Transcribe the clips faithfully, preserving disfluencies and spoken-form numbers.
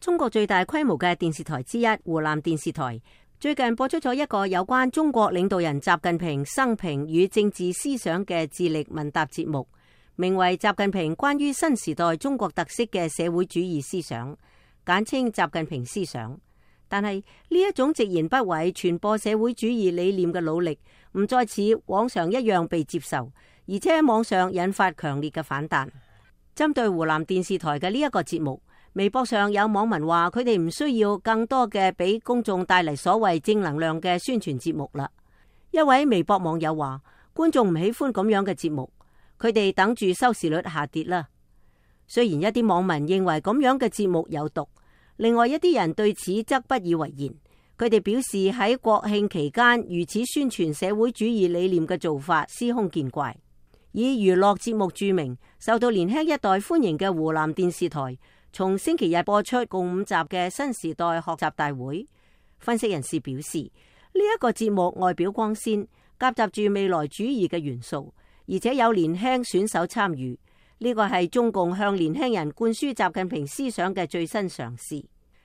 中國最大規模嘅電視台之一湖南電視台最近播出咗一個有關中國領導人習近平生平與政治思想嘅智力問答節目，名為《習近平關於新時代中國特色嘅社會主義思想》，簡稱習近平思想。但係呢一種直言不諱傳播社會主義理念嘅努力，唔再似往常一樣被接受，而且喺網上引發強烈嘅反彈。針對湖南電視台嘅呢一個節目，微博上有網民話佢哋唔需要更多嘅俾公眾帶嚟所謂正能量嘅宣傳節目啦。一位微博網友話，觀眾唔喜歡咁樣嘅節目，佢哋等住收視率下跌啦。雖然一啲網民認為咁樣嘅節目有毒，另外一啲人對此則不以為然。佢哋表示喺國慶期間如此宣傳社會主義理念嘅做法司空見慣。以娛樂節目著名、受到年輕一代歡迎嘅湖南電視台，從星期日播出共五集嘅新時代學習大會。分析人士表示，呢、這、一個節目外表光鮮，夾雜住未來主義嘅元素，而且有年輕選手參與。呢個係中共向年輕人灌輸習近平思想嘅最新嘗試。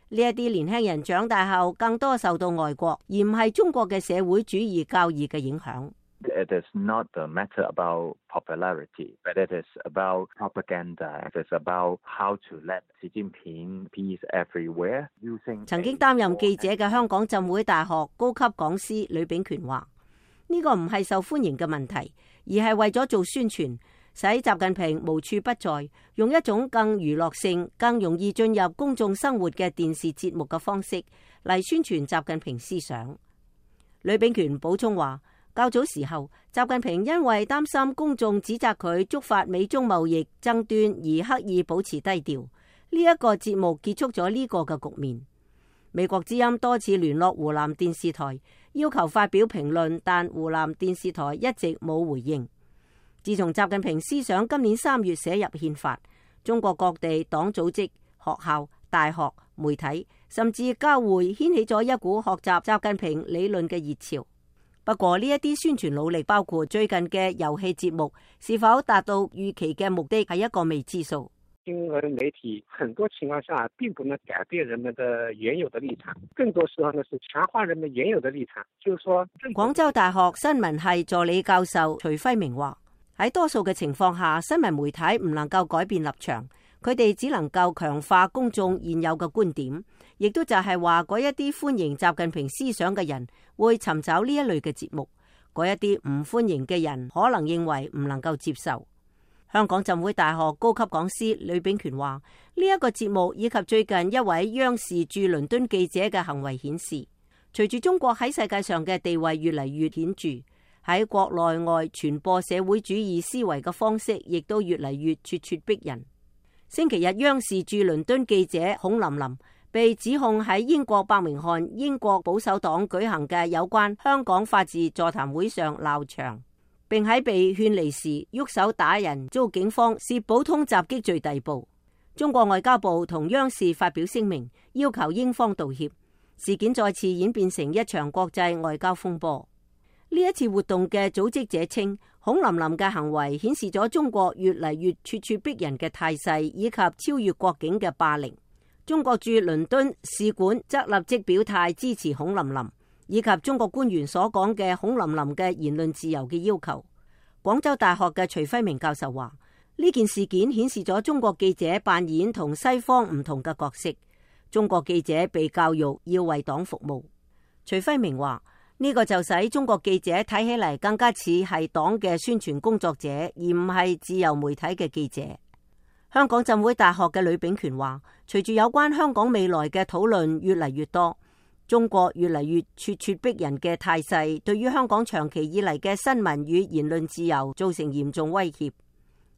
呢一啲年輕人長大後更多受到外國而唔係中國嘅社會主義教義嘅影響。It is not a matter about popularity, but it is about propaganda. It is about how to let 習近平 peace everywhere. 曾經擔任記者嘅香港浸會大學高級講師呂秉權話：呢個唔係受歡迎嘅問題，而係為咗做宣傳，使習近平無處不在，用一種更娛樂性、更容易進入公眾生活嘅電視節目嘅方式嚟宣傳習近平思想。呂秉權補充話：較早時候，習近平因為擔心公眾指責佢觸發美中貿易爭端而刻意保持低調。呢一個節目結束咗呢個嘅局面。美國之音多次聯絡湖南電視台，要求發表評論，但湖南電視台一直冇回應。自從習近平思想今年三月寫入憲法，中國各地黨組織、學校、大學、媒體，甚至交會掀起咗一股學習習近平理論嘅熱潮。不過呢一啲宣傳努力，包括最近嘅遊戲節目，是否達到預期嘅目的，係一個未知數。新聞媒體很多情況下並不能改變人們的原有的立場，更多時候呢是強化人們原有的立場。就是說，廣州大學新聞系助理教授徐輝明話：喺多數嘅情況下，新聞媒體唔能夠改變立場，佢哋只能夠強化公眾現有嘅觀點。亦都就係話，嗰一啲歡迎習近平思想嘅人會尋找呢一類嘅節目，嗰一啲唔歡迎嘅人可能認為唔能夠接受。香港浸會大學高級講師呂秉權話：呢一個節目以及最近一位央視駐倫敦記者嘅行為顯示，隨住中國喺世界上嘅地位越嚟越顯著，喺國內外傳播社會主義思維嘅方式亦都越嚟越咄咄逼人。星期日央視駐倫敦記者孔琳琳被指控喺英國伯明翰英國保守黨舉行嘅有關香港法治座談會上鬧場，並喺被勸離時喐手打人，遭警方視普通襲擊罪逮捕。中國外交部同央視發表聲明，要求英方道歉。事件再次演變成一場國際外交風波。呢一次活動嘅組織者稱，孔琳琳嘅行為顯示咗中國越嚟越咄咄逼人嘅態勢，以及超越國境嘅霸凌。中國駐倫敦使館則立即表態支持孔琳琳，以及中國官員所講嘅孔琳琳嘅言論自由嘅要求。廣州大學嘅徐輝明教授話：呢件事件顯示咗中國記者扮演同西方唔同嘅角色。中國記者被教育要為黨服務。徐輝明話：呢個就使中國記者睇起嚟更加似係黨嘅宣傳工作者，而唔係自由媒體嘅記者。香港浸會大學嘅呂秉權話：隨住有關香港未來嘅討論越嚟越多，中國越嚟越咄咄逼人嘅態勢，對於香港長期以嚟嘅新聞與言論自由造成嚴重威脅。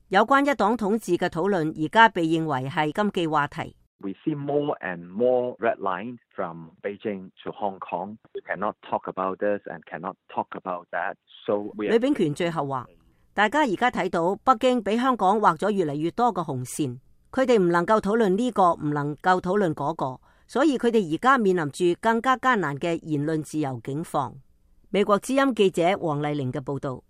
有關一黨統治嘅討論而家被認為係禁忌話題。We see more and more red lines from Beijing to Hong Kong. We cannot talk about this and cannot talk about that. So 呂秉權最後話：大家而家睇到北京俾香港畫咗越嚟越多個紅線，佢哋唔能夠討論呢個，唔能夠討論嗰個，所以佢哋而家面臨住更加艱難嘅言論自由境況。美國之音記者黃麗玲嘅報道。